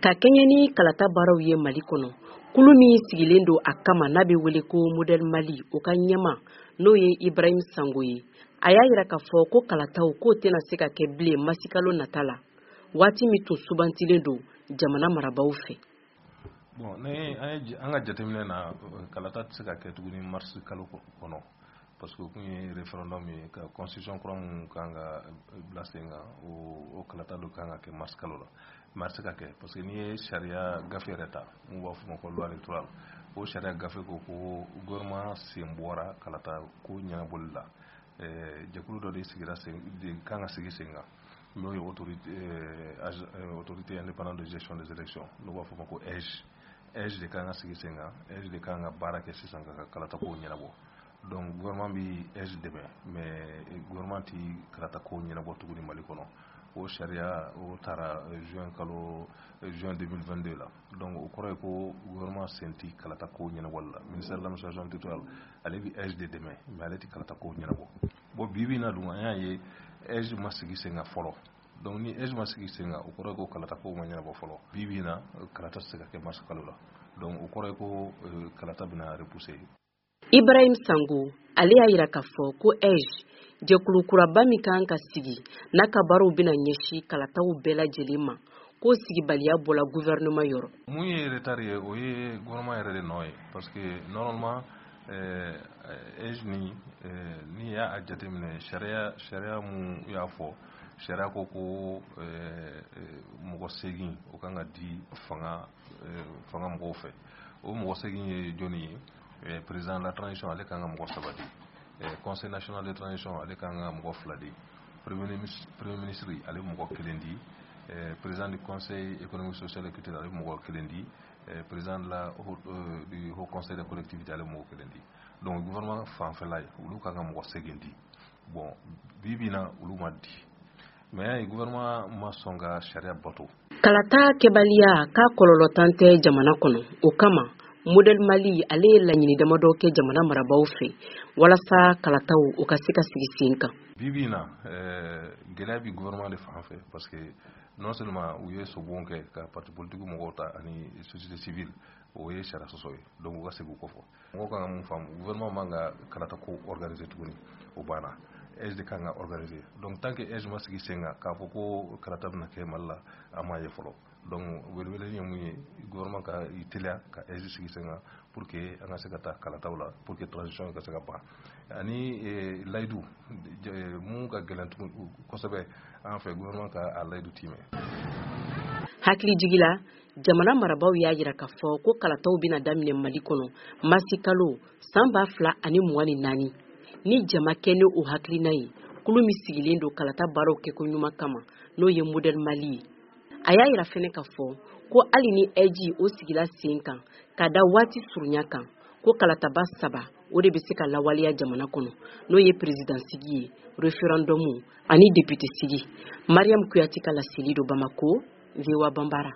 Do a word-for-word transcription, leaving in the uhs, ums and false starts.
Ka kɛɲɛ ni kalata baaraw ye Mali kɔnɔ, kulu min sigilen don a kama n'a bɛ wele ko Modèle Mali, o ka ɲɛma, n'o ye Ibrahim Sango ye, a y'a yira k'a fɔ ko kalataw k'o tɛna se ka kɛ bilen masikalo nata la, waati min tun subantilen don jamana marabaaw fɛ. Bon, ni an ka jateminɛ na, kalata tɛ se ka kɛ tuguni mars kalo kɔnɔ, parce que o kun ye référendum ye ka constitution kura mun kan ka bila sen kan. o o kalata dɔ kan ka kɛ mars kalo la, mais a tɛ se ka kɛ, parce que n'i ye sariya gafe yɛrɛ ta mun b'a fɔ ma ko loi électorale, o sariya gafe ko ko gouvernement sen bɔra kalata ko ɲɛnabɔli la. Jɛkulu dɔ de sigira sen de kan ka sigi sen kan, n'o ye autorité autorité indépendante de gestion des élections, n'o b'a fɔ ma ko A I G E. A I G E de kan ka sigi sen kan, A I G E de kan ka baara kɛ sisan ka kalata kow ɲɛnabɔ. Donc gouvernement bi A I G E dɛmɛ, mais gouvernement ti kalata kow ɲɛnabɔ tuguni Mali kɔnɔ. O sariya o taara juin kalo, juin deux mille vingt-deux la. Donc o kɔrɔ ye ko gouvernement sen ti kalata kow ɲɛnabɔli la. Ministère de l'Administration territoriale, ale bi A I G E de dɛmɛ, mais ale ti kalata kow ɲɛnabɔ. Bon, bi bi in na dun, an y'a ye A I G E ma sigi sen kan fɔlɔ. Donc ni A I G E ma sigi sen kan, o kɔrɔ ye ko kalata kow ma ɲɛnabɔ fɔlɔ. Bi bi in na, kalata tɛ se ka kɛ mars kalo la. Donc o kɔrɔ ye ko kalata bɛna repousser. Ibrahim Sango, ale y'a yira k'a fɔ ko A I G E, jɛkulu kuraba min kan ka sigi n'a ka baaraw bɛna ɲɛsin kalataw bɛɛ lajɛlen ma, k'o sigibaliya bɔla gouvernement yɔrɔ. Mun ye retard ye, o ye gouvernement yɛrɛ de nɔ ye, parce que normalement A I G E ni n'i y'a jateminɛ, sariya sariya mun y'a fɔ, sariya ko ko mɔgɔ seegin o kan ka di fanga fanga mɔgɔw fɛ. O mɔgɔ seegin ye jɔnni ye? Président de la transition, ale kan ka mɔgɔ saba di. Conseil national de transition, ale kan ka mɔgɔ fila di. Premier ministre, ale mɔgɔ kelen di. Président du Conseil économique, social et culturel, ale mɔgɔ kelen di. Président de la du Haut Conseil des collectivités, ale mɔgɔ kelen di. Donc gouvernement fanfɛla ye, olu kan ka mɔgɔ seegin di. Bon, bi bi in na, olu ma di, mais gouvernement ma sɔn ka sariya bato. Kalata kɛbaliya k'a kɔlɔlɔtan tɛ jamana kɔnɔ. O kama, Modèle Mali, ale ye laɲini damadɔ kɛ jamana marabaaw fɛ walasa kalataw o ka se ka sigi sen kan. Bi bi in na, gɛlɛya bi gouvernement de fan fɛ, parce que non seulement u ye sobon kɛ ka parti politique mɔgɔw ta ani société civile, o ye sariya sɔsɔ ye. Donc u ka segin u kɔfɛ. Mɔgɔw kan ka mun faamu? Gouvernement man ka kalata ko organiser tuguni, o banna. A I G E de kan ka organiser. Donc tant que A I G E ma sigi sen kan, k'a fɔ ko kalata bɛna kɛ Mali la, an m'a ye fɔlɔ. Donc welewele ye mun ye? Gouvernement ka i teliya ka A I G E sigi sen kan pour que an ka se ka taa kalataw la, pour que transition ka se ka ban. Ani layidu mun ka gɛlɛn tugun kosɛbɛ an fɛ, gouvernement ka a layidu timɛ. Hakili jigila, jamana marabaaw y'a yira k'a fɔ ko kalataw bɛna daminɛ Mali kɔnɔ masi kalo san ba fila ani mugan ni naani. Ni jama kɛ ni o hakilina ye, kulu min sigilen don kalata baaraw kɛko ɲuman kama, n'o ye Modèle Mali ye, a y'a yira fɛnɛ k'a fɔ ko hali ni A I G E o sigila sen kan ka da waati surunya kan, ko kalataba saba o de bɛ se ka lawaleya jamana kɔnɔ, n'o ye président sigi ye, référendum ani député sigi. Mariam Kuyati ka laseli don Bamako, V O A Banbara.